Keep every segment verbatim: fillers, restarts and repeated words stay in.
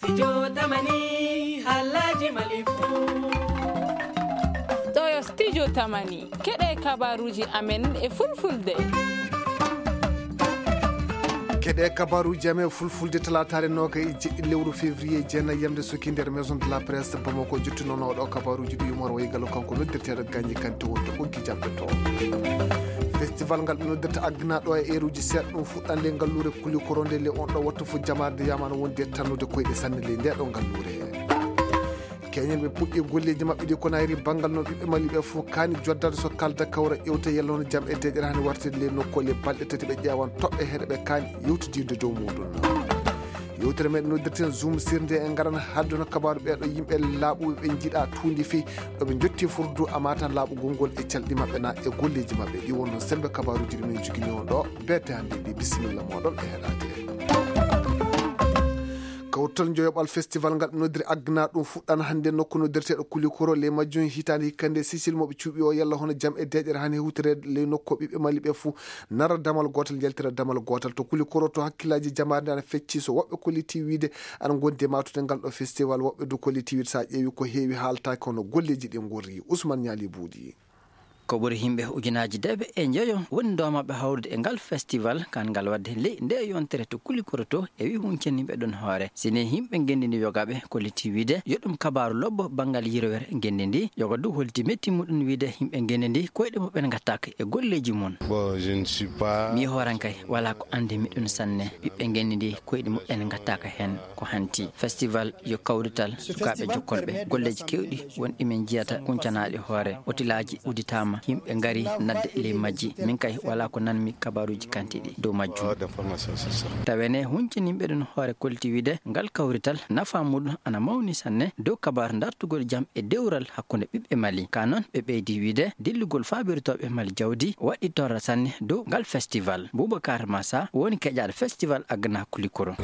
Studio Tamani, halaji malifu. Ɗo yo Studio Tamani. Keɗe kabaruji amen e fulfulde. Keɗe kabaruji amen e fulfulde, talaataare noga e jeɗɗi lewru février, jeenayi yamde suki nder Maison de la Presse Bamako. Jottunoono ɗo kabaruji ɗi Umar Wayi Gallo, kanko noddirteeɗo Gagny Kanté, wonto ɓoggi jamɗe to. Festival ngal ɓe noddirta Agna ɗo e eeruji seeɗa, ɗum fuɗɗande ngalluure Kulikoro nde le on ɗo wattu fof jamaade yamano wondi e tannude koyɗe sanne ley nde ɗo ngalluure. Keñen ɓe puɗɗi golleeji maɓɓe ɗi ko nayri banngal no ɓiɓɓe Mali ɓe fof kaani joddade so kalda kawra ƴewta yalla hono jam e deeƴere hani wartede ley nokku le balɗe tati ɓe ƴeewan toɓɓe heɗe ɓe kaani yewtidirde dow muɗum. Yewtere meɗen noddirten Zoom sirde e ngaran haalde hono kabaaru ɓeeɗo yimɓe laaɓuɓe ɓe njiɗa tuundi fii ɗo ɓe jotti furdu amata laaɓugol ngol e calɗi maɓɓe na e golleeji maɓɓe ɗi wonno sembe kabaaruji ɗi min jogini on ɗo. Beete hannde ɗi bisimilla moɗon e heɗade. Kawtal joyoɓal festival ngal ɓe noddiri Agna ɗum fuɗɗan hannde nokku noddirteeɗo Kulikoro ley majjum hitaande hikka nde Sisil mo ɓe cuuɓi o yalla hono jam e deeƴere hani hewtireede ley nokku ɓiɓɓe Mali ɓe fuu nara damal gootal yaltira damal gootal to Kulikoro to hakkillaaji jamaare nde ana fecci so woɓɓe kolliti wiide ana ngondi e maatude ngal ɗo festival woɓɓe du kolliti wiide so a ƴeewi ko heewi haaltaaki kono golleeji ɗi ngorri Ousmane Ñaali Buuɗi. Ko ɓuri yimɓe ujunaaji deeɓe e njoyo woni doomaaɓe hawrude e ngal festival kan ngal waɗde ley nde yontere to Kulikoro to e wi huncaniiɓe ɗon hoore. Sine yimɓe ngenndi ndi yogaaɓe kolliti wiide yo ɗum kabaaru lobbo banngal yirwere ngenndi ndi yoga du holti metti muɗum wiide yimɓe ngenndi ndi koyɗe muɓɓen ngattaaka e golleeji mum. Bon, je ne suis pas mi hooran kay wala ko anndi miɗum sanne ɓiɓɓe ngenndi ndi koyɗe muɓɓen ngattaaka heen ko hanti festival yo kawrital sukaaɓe jokkolɓe golleeji keewɗi wonɗi min njiyata kuncanaaɗi hoore otilaaji udditaama yimɓe ngari nadde ley majji min kay wala ko nanmi kabaaruuji kantiiɗi dow majjum. Tawene hunciniiɓe ɗum hoore kolti wiide ngal kawrital nafa muɗum ana mawni sanne dow kabaaru dartugol jam e dewral hakkunde ɓiɓɓe Mali ka noon ɓe ɓeydi wiide dillugol faabirtooɓe Mali jawdi waɗi torra sanne dow ngal festival. Boubacar Massa woni keƴaaɗo festival Agna Kulikoro.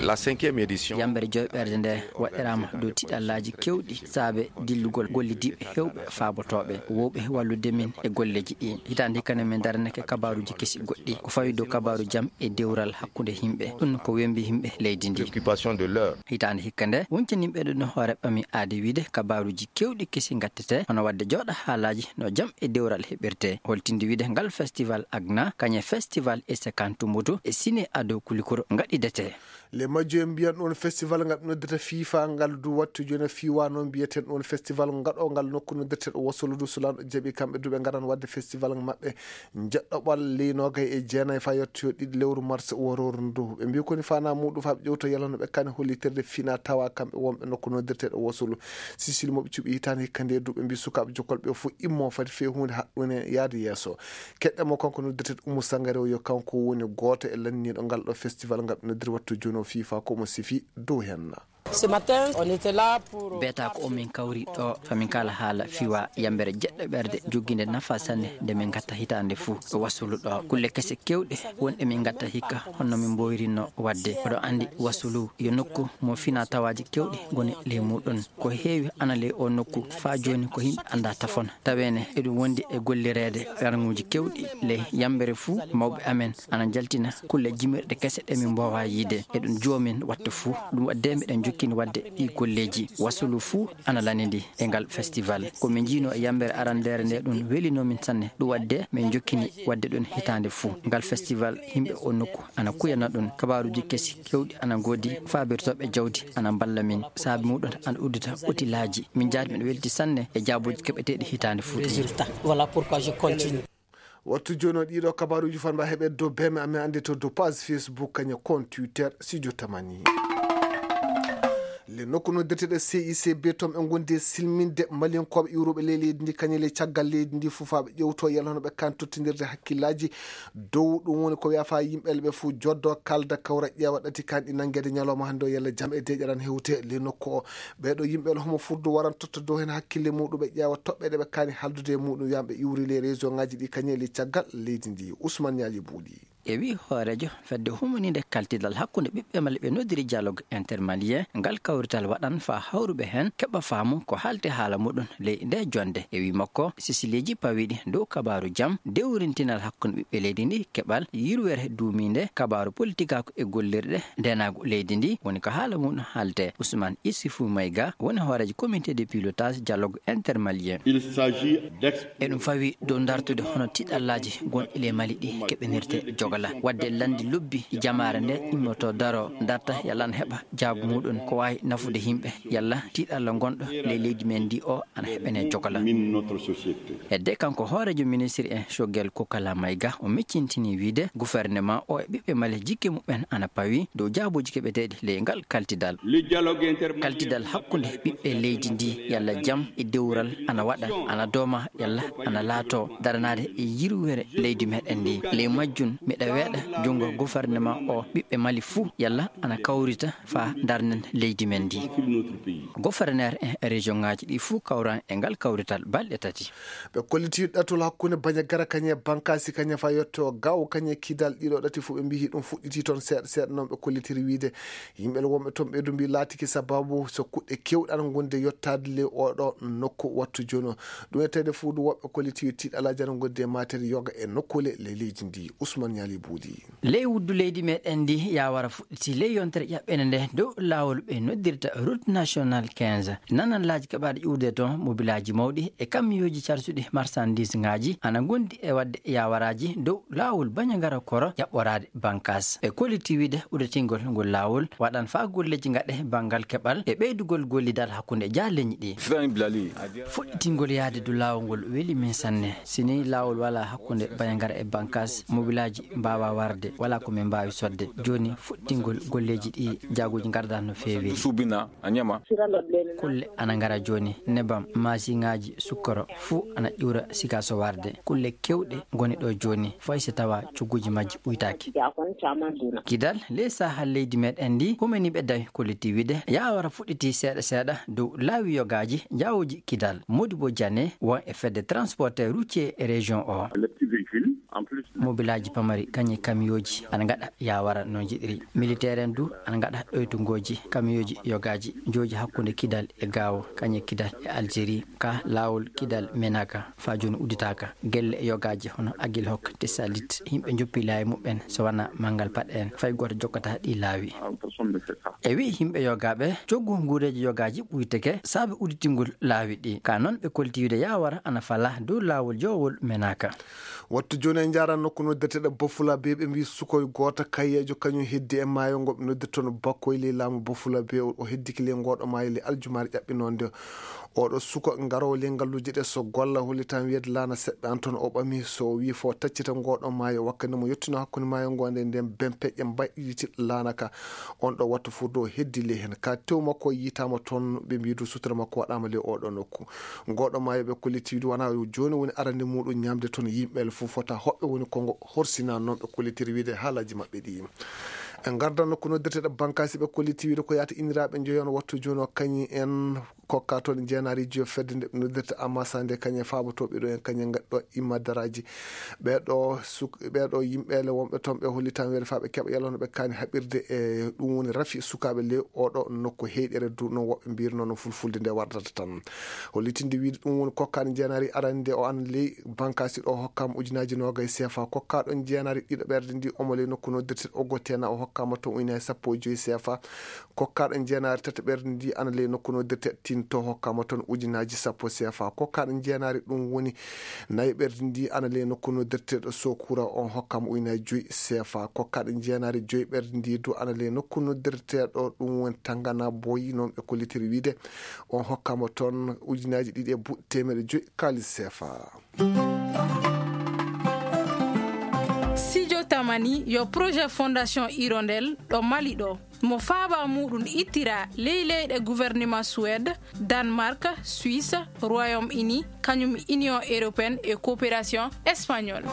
La cinquième édition. Yambere joyɓerde nde waɗiraama dow tiɗallaaji keewɗi saabe dillugol gollidiiɓe heewɓe faabotooɓe wowɓe wallude min e golleeji ɗi hitaande hikka nde min ndaranake kabaaruuji kesi goɗɗi ko fawi dow kabaaru jam e dewral hakkunde yimɓe ɗum ko wembi yimɓe leydi ndi. Hitaande hikka nde woncaninɓe ɗum hoore ɓami aade wiide kabaaruuji keewɗi kesi ngattete hono waɗde jooɗa haalaaji no jam e dewral heɓirte holtinde wiide ngal festival Agna kañe festival e sekantu mutu e sine ado Kulikoro ngaɗidete. Le majjo en mbiyan ɗon festival ngal noddata fifa ngal du wattu joni fiwa noon mbiyeten ɗon festival ngaɗo ngal nokku noddirteɗo wasolu du sulanɗo jaɓi kamɓe du ɓe ngaran wadde festival maɓɓe jeɗɗoɓal ley nogay e jeenayi fa yettoyo ɗiɗi lewru mars wororu ndu ɓe mbi koni fana muɗum fa ɓe ƴewto yalano ɓe kani hollitirde fina tawa kamɓe wonɓe nokku noddirteɗo wasolu sisil moɓe cuɓi hitande hikka nde du ɓe mbi sukaɓe jokkol ɓe fof immo fati fe hunde haɗɗune yaade yeeso. Keɗɗe mo kanko noddirteɗo Oumou Sangaré o yo kanko woni gooto e lanniiɗo ngal ɗo festival ngal ɓe noddiri wattu jooni o fifa ko omo sifi dow henna. Ce matin, on était là pour. Beeta ko omin kawri ɗo famin kala haala fiwa yambere jeɗɗo ɓerde jogginde nafa sanne nde min gatta hitande fuu ɗo wasulu ɗo kulle kese kewɗe wonɗe min gatta hikka honno min mboyrinno wadde oɗo andi wasulu yo nokku mo fina tawaji kewɗi ngoni ley muɗum ko heewi ana ley o nokku faa jooni ko yimɓe anda tafon tawene eɗum wondi e gollireede ranguuji kewɗi ley yambere fuu mawɓe amen ana njaltina kulle jimirɗe kese ɗe min mboowa yiide eɗum joomin wattu fuu ɗum waɗde miɗen jokkini waɗde ɗi golleeji wasulu fuu ana lanidi e ngal festival ko min njiino e yambere arandeere nde ɗum welino min sanne ɗum waɗde min jokkini waɗde ɗum hitaande fuu ngal festival yimɓe o nokku ana kuyana ɗum kabaaruuji kesi kewɗi ana ngoodi faabirtooɓe jawdi ana mballa min saabi muɗum ana uddita otilaaji min jaari miɗo welti sanne e jaabooji keɓeteeɗi hitaande fuu ɗi. Résultat. Voilà pourquoi je continue. Wattu jooni o ɗiɗo kabaruuji fanba heɓe dow beme amen annde to dow page Facebook kañe compte Twitter Studio Tamani. Le nokku noddirteɗe C I C B toon ɓe ngondi e silminde maliyankooɓe iwruɓe ley leydi ndi kañe ley caggal leydi ndi fof faa ɓe ƴewto yalla hono ɓe kan tottindirde hakkillaaji dow ɗum woni ko wiya faa yimɓe ɓe fof joddo kalda kawra ƴeewa ɗati kan ɗi nanngeede ñalawma hannde o yalla jam e deeƴeran hewte ley nokku o. Ɓeeɗo yimɓe no homo furdu waran totta dow heen hakkille muɗum ɓe ƴeewa toɓɓe ɗe ɓe kaani haaldude e muɗum wiyan ɓe iwri ley région ngaji ɗi kañe ley caggal leydi ndi Ousmane Ñaali Buuɗi. e wi hooreejo fedde humaniinde kaltidal hakkunde ɓiɓɓe Mali ɓe noddiri dialogue intermalien, ngal kawrital waɗan faa hawruɓe heen keɓa faamu ko haalte haala muɗum ley nde jonnde. E wi makko, sisileeji pawiiɗi dow kabaaru jam, dewrintinal hakkunde ɓiɓɓe leydi ndi, keɓal yirwere duumiinde, kabaaru politikaaku e gollirɗe ndeenaagu leydi ndi, woni ko haala muɗum haalte. Ousmane Issoufou Maïga woni hooreejo comité de pilotage dialogue intermalien. Il s'agit d'ex- Eɗum fawi dow dartude hono tiiɗallaaji gonɗi ley Mali ɗi keɓinirte jogala. Waɗde lanndi lobbi jamaare nde immoto daro darta yalla ana heɓa jaabu muɗum ko waawi nafude yimɓe yalla tiiɗalla gonɗo ley leydi men ndi o ana heɓene jogala. Min notre société. Hedde kanko hooreejo ministre en Choguel Kokala Maïga o miccintini wiide gouvernement o e ɓiɓɓe Mali jikke muɓɓen ana pawi dow jaabuuji keɓeteeɗi ley ngal kaltidal. Le dialogue inter- Kaltidal hakkunde ɓiɓɓe leydi ndi yalla jam e dewral ana waɗa, ana dooma yalla ana laato daranaade e yirwere leydi meɗen ndi. Ley majjum miɗa weeɗa junngo gouvernement o ɓiɓɓe Mali fuu yalla ana kawrita faa darnen leydi men ndi. Gouverneur en région ŋaaji ɗi fuu kawran e ngal kawrital balɗe tati. Ɓe kolliti ɗatol hakkunde Bandiagara kañe Bankasi kañe faa yetto Gao kañe Kidal ɗiɗo ɗati fof ɓe mbiyi ɗum fuɗɗiti toon seeɗa seeɗa noon ɓe kollitiri wiide yimɓe wonɓe toon ɓeydu mbi laatiki sababu so kuɗɗe keewɗe ana ngonde yottaade ley oɗo nokku wattu jooni o. Ɗum e tawde fuu ɗum woɓɓe kolliti tiiɗalaaji ana ngonde e maatere yoga e nokkuule ley leydi ndi. Ousmane Ñaali Buudi. Ley wuddu leydi meɗen ndi yaawara fuɗɗiti ley yontere ƴaɓɓende nde dow laawol ɓe noddirta route nationale quinze. Nananlaaji keɓaaɗi ƴuwde toon mobilaaji mawɗi e kamiyooji carsuɗi marsandiis ŋaaji ana ngondi e waɗde yaawaraaji dow laawol Bandiagara Koro ƴaɓɓoraade Bankas. Ɓe kolliti wiide udditingol ngol laawol waɗan faa golleeji ngaɗe banngal keɓal e ɓeydugol gollidal hakkunde jaaleñi ɗi. Fuɗɗitingol yahde dow laawol ngol weli min sanne. Si nii laawol walaa hakkunde Bandiagara e Bankas, mobilaaji mbaawaa warde, walaa ko min mbaawi soɗde. Jooni fuɗɗitingol golleeji ɗi jaaguuji ngardaa no feewi. Kulle ana ngara jooni, nebam, maasiŋaaji, sukkoro, fuu ana ƴuura siga so warde. Kulle keewɗe ngoni ɗo jooni, fay so tawaa cogguuji majji ɓuytaaki. Kidal, ley sahaa leydi meɗen ndi, humaniiɓe dawi kolliti wiide yaawara fuɗɗiti seeɗa seeɗa dow laawi yogaaji njaawooji Kidal. Modibo Diané won e fedde transporteur routier région o. Mobilaaji pamari kañe kamiyooji ana ngaɗa yaawara no njiɗiri. Militeer en du ana ngaɗa ɗoytungooji kamiyooji yogaaji jooji hakkunde Kidal e Gaawo kañe Kidal e Algérie ka laawol Kidal Menaka faa jooni udditaaka. Gelle e yogaaji hono Agilhok, Tessalit, yimɓe njoppi laawi muɓɓen so wanaa manngal paɗe en fay gooto jokkataa ɗi laawi. E wi yimɓe yogaaɓe coggu nguureeji yogaaji ɓuyteke saabe udditingol laawi ɗi. Ka noon ɓe kolliti wiide yaawara ana fala dow laawol jowol Menaka. Wattu jooni en njaaran nokku noddirteeɗo Bafula Bey, ɓe mbi sukoy gooto kayyeejo kañum heddi e maayo ngo ɓe noddirta toon Bakkoy ley laamu Bafula Bey, o heddiki ley ngooɗo maayo ley aljumaare ƴaɓɓinoonde. Oɗo suko ngaroowo ley ngalluuje ɗe so golla hollitaan wiyeede laana seɓɓe an toon o ɓami so o wii fo taccita ngooɗo maayo wakkati mo yettuno hakkunde maayo ngo nde nden ben peƴƴe mbaɗɗiti laana ka. On ɗo wattu furdo o heddi ley heen ka tew makko yiitaama toon ɓe mbiidu sutura makko waɗaama ley oɗo nokku. Ngooɗo maayo ɓe kolliti wiide wonaa yo jooni woni arande muɗum ñaamde toon yimɓe fof fota hoɓɓe woni ko ngo horsina noon ɓe kollitiri wiide haalaaji maɓɓe ɗi. En ngardan nokku noddirteeɗo Bankasi ɓe kolliti wiide ko yaata inniraaɓe njoyon wattu jooni o kañi en kokka toon jeenaari jiyo fedde nde noddirta Amasande kañe faabotooɓe ɗo en kañe ngaɗɗo imma daraaji. Ɓeeɗo suk-, ɓeeɗo yimɓeele wonɓe toon ɓe hollitan weere faa ɓe keɓa yalla no ɓe kaani haɓirde e ɗum woni rafi sukaaɓe ley oɗo nokku heyɗere du no woɓɓe mbirno no fulfulde nde wardata tan. Hollitinde wiide ɗum woni kokkaani jeenaari arande o an ley Bankasi ɗo hokkama ujunaaji noogay seefa. Kokkaaɗo jeenaari ɗiɗo ɓerde ndi omo ley nokku noddirte Ogotena o hokkama toon ujunaaji sappo e joyi seefa. Kokkaaɗo jeenaari tataɓerde ndi ana ley nokku noddirte Tinto hokkama toon ujunaaji sappo seefa. Kokkaaɗo jeenaari ɗum woni nayi ɓerde ndi ana ley nokku noddirteeɗo Sokura on hokkama ujunaaji joyi seefa. Kokkaaɗo jeenaari joyi ɓerde ndi du ana ley nokku noddirteeɗo ɗum woni Tangana Boyi noon ɓe kollitiri wiide on hokkama toon ujunaaji ɗiɗi e buɗe teemeɗe joyi kaalis seefa. Studio Tamani yo projet Fondation Hirondelle ɗo Mali ɗo. Mo faaba muɗum ittira ley leyɗe gouvernement Suède, Danemark, Suisse, Royaume-Uni, kañum Union Européenne e Coopération Espagnole.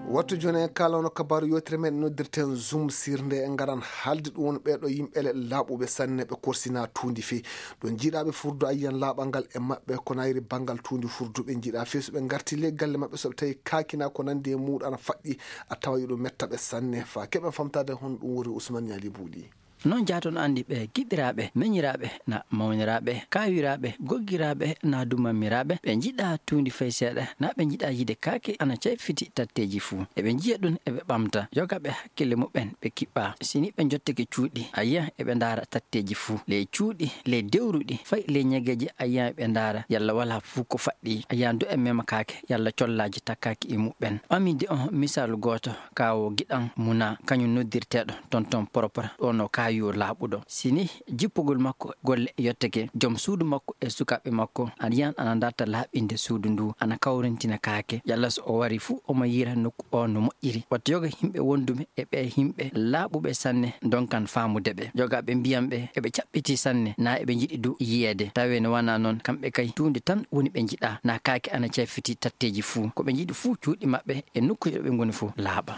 Wattu jooni en kaalano kabaaru yewtere meɗen noddirten Zoom sirnde en ngaran haalde ɗum woni ɓeeɗo yimɓe le laaɓuɓe sanne ɓe korsina tuundi fii. Ɗo njiiɗaaɓe furdu ayyan laaɓal ngal e maɓɓe ko nayri banngal tuundi furdu ɓe njiiɗa fii so ɓe ngarti ley galle maɓɓe so ɓe tawi kaakina ko nandi e muuɗo ana faɗɗi a tawa yuɗo metta ɓe sanne faa keɓen famtaade hon ɗum woni Usman Ñaali Buuɗi. Non jaaton anndi ɓe giɗiraaɓe, meñiraaɓe, na mawniraaɓe, kaawiraaɓe, goggiraaɓe, na dumammiraaɓe, ɓe njiɗaa tuundi fay seeɗa, na ɓe njiɗaa yiide kaake ana cayfiti tatteeji fuu. Eɓe njiya ɗum, eɓe ɓamta, yoga ɓe hakkille muɓɓen, ɓe kiɓɓaa. Si ni ɓe njottake cuuɗi, a yiya eɓe ndaara tatteeji fuu. Ley cuuɗi, ley dewruɗi, fay ley ñageeji, a yiya eɓe ndaara, yalla walaa fuu ko faɗɗi. A yiya du e mema kaake, yalla collaaji takkaaki e muɓɓen. Ɓaminde on misaalu gooto, kaawo giɗan muna, kañum noddirteeɗo tonton propre, ɗo no kaayo laaɓuɗo. Si ni jippugol makko golle yottake, jom suudu makko e sukaaɓe makko, a yiyan ana ndarta laaɓinde suudu ndu, ana kawrintina kaake. Yalla so o wari fuu, omo yiira nokku o no moƴƴiri. Wattu yoga yimɓe wonduɓe e ɓee yimɓe laaɓuɓe sanne, ndonkan faamude ɓe. Yoga ɓe mbiyan ɓe, eɓe caɓɓitii sanne, na eɓe njiɗi du yiyeede. Tawee no wanaa non, kamɓe kay tuunde tan woni ɓe njiɗaa, na kaake ana cayfiti tatteeji fuu. Ko ɓe njiɗi fuu cuuɗi maɓɓe e nokkuuje ɗo ɓe ngoni fuu laaɓa.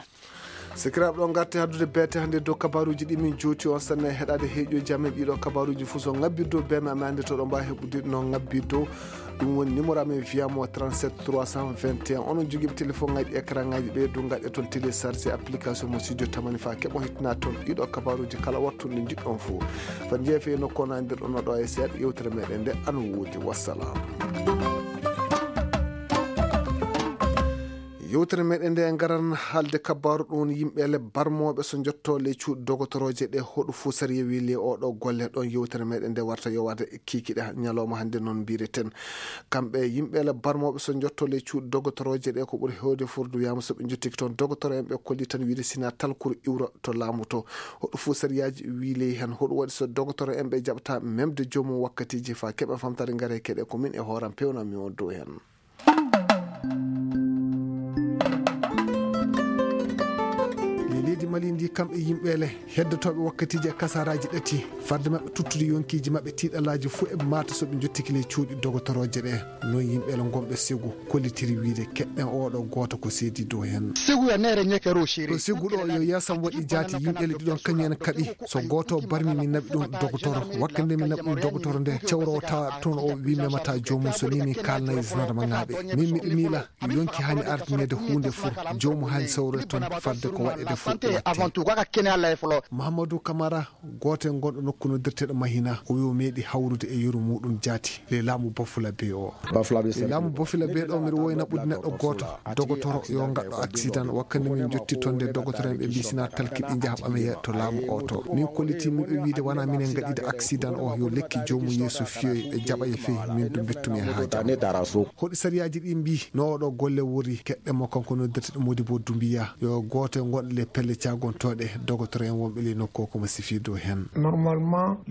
Sikiraaɓe, ɗo ngarti haddude beete hannde dow kabaaruuji ɗi min jooti on sanne e heɗaade heeƴooji amen ɗiɗo kabaaruuji fuu so ŋabbir dow beeme amen hannde to ɗo mbaawi heɓude no ŋabbir dow. Ɗum woni numéro amen via mo trente-sept trois cent vingt et un. Onon jogiiɓe téléphone ŋaaji écran ŋaaji ɓe du ngaɗe toon télécharge application mo studio tamani faa keɓon hittina toon ɗiɗo kabaaruuji kala wattu nde njiɗɗon fuu. Fat njeefe e nokku on anndir ɗon ɗo e seeɗa yewtere meɗen nde ano woodi. Wassalam. Yewtere meɗen nde ngaran haalde kabaaru ɗum yimɓe le barmooɓe so njotto le cuuɗi dogotorooje ɗe hoɗu fuu sariya wi le oɗo golle ɗon yewtere meɗen nde warta yowaade kiikiɗe ñalawma hannde noon mbireten. Kamɓe yimɓe le barmooɓe so njotto le cuuɗi dogotorooje ɗe ko ɓuri heewde furdu wiyama so ɓe njottiki toon dogotoro en ɓe kolli tan wiide sina talkuru iwra to laamu to. Hoɗu fuu sariyaaji wi ley hen hoɗu waɗi so dogotoro en ɓe jaɓata memde joomum wakkatiiji faa keɓa famtare ngare keɗe ko min e hooram pewnami on dow hen. Ley leydi Mali ndi kamɓe yimɓe le heddotooɓe wakkatiiji e kasaraaji ɗati farde maɓɓe tuttude yonkiiji maɓɓe tiiɗalaaji fuu e maata so ɓe njottiki ley cuuɗi dogotorooje ɗe. Noon yimɓe le ngonɓe segu kollitiri wiide keɗɗen oɗo gooto ko seedi dow hen. Ɗo segu ɗo yo yasam waɗi jaati yimɓe le ɗiɗon kañum en kaɓi so gooto barmi mi naɓi ɗum dogotoro wakkande mi naɓi ɗum dogotoro nde cewrowo tawa toon o wi memata joomum so ni min kaalnay zandarma ŋaaɓe min miɗo miila yonki hani ardineede huunde fur joomum hani sawre toon fadde ko waɗede fur watti. Mahamadou Camara gooto e gonɗo nokku noddirteeɗo Mahina o wi o meeɗi hawrude e yeru muɗum jaati ley laamu Bafulabe o. Laamu Bafulabe ɗo miɗo wowi naɓude neɗɗo gooto dogotoro yo ngaɗɗo accident wakkande min jotti toon nde dogotoro en ɓe mbi sina talki ɓe njaha ɓameya to laamu o to min kolliti min ɓe wiide wona minen ngaɗide accident o yo lekki joomum yeeso fiyoy ɓe jaɓa e fey min du mbettumi e haaji hoɗi sariyaaji ɗi mbi no oɗo golle wori keɗɗe mo kanko noddirteɗo Modibo Dumbiya yo gooto e gonɗo le pelle cagontooɗe dogotoro en wonɓe ley nokku o komo sifi dow hen.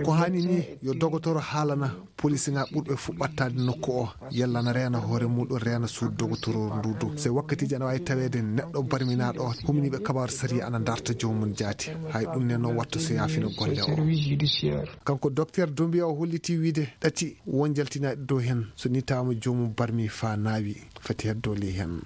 Ko hani ni yo dogotoro haalana polisiŋaaɓe ɓurɓe fuu ɓattaade nokku o yalla na reena hoore muɗum reena suudu dogotoro ndu du so wakkatiiji ana waawi taweede neɗɗo barminaaɗo o huminiiɓe kabaaru sariya ana ndarta joomum jaati hay ɗum ne noon watta so yaafino golle o. Kanko docteur Dumbiya o holliti wiide ɗati won jaltinaaɗi dow heen so ni tawaama joomum barmi faa naawi fati heddo ley heen.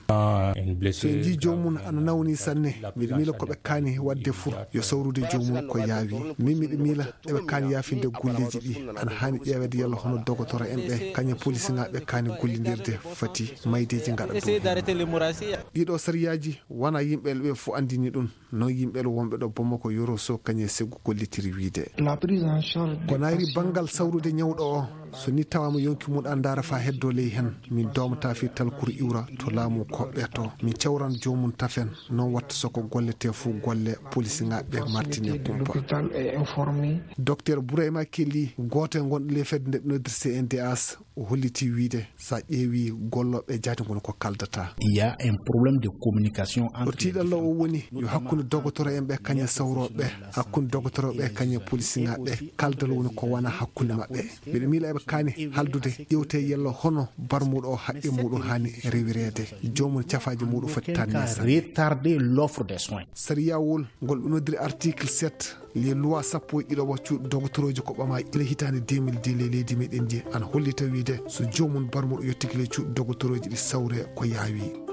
So en njii joomum ana nawni sanne miɗo miila ko ɓe kaani waɗde fuu yo sawrude joomum ko yaawi min miɗo miila eɓe kaani yaafinde golleeji ɗi ana haani ƴeeweede yalla hono dogotoro en ɓe kañum polisiŋaaɓe kaani gollindirde fati maydeeji ngaɗa dow heen. Ɗiɗo sariyaaji wona yimɓe ɓe fof anndini ɗum noon yimɓe wonɓe ɗo Bamako yoro so kañum e segu gollitiri wiide ko nayri banngal sawrude ñawɗo o so ni tawaama yonki mum a ndaara faa heddo ley heen min doomata fii talkuru iwra to laamu koɓɓe to min cawran joomum tafen noon watta so ko gollete fof golle polisiŋaaɓe martine kumpa. Docteur Bourayma Kelly gooto e gonɗo ley fedde nde ɓe noddir C N D H o holliti wiide so a ƴeewi gollooɓe jaati ngoni ko kaldata. Il y a un problème de communication entre o tiiɗallo o woni yo hakkunde dogotoro en ɓe kañum sawrooɓe hakkunde dogotoro ɓe kañum polisiŋaaɓe ɓe kaldal woni ko wona hakkunde maɓɓe mbiɗa miila eɓe kaani haldude ƴewte yello hono barmuɗo o haqqe muɗum haani rewireede joomum cafaaji muɗum foti tanni retarder l'offre des soins. Sariyawol ngol ɓe noddiri article sept les lois sappo e ɗiɗo wa cuuɗi dogotorooji ko ɓama ila hitaande deux mille deux ley leydi meɗen ndi ana hollita wiide so joomum barmuɗo yottiki ley cuuɗi dogotorooji ɗi sawre ko yaawi.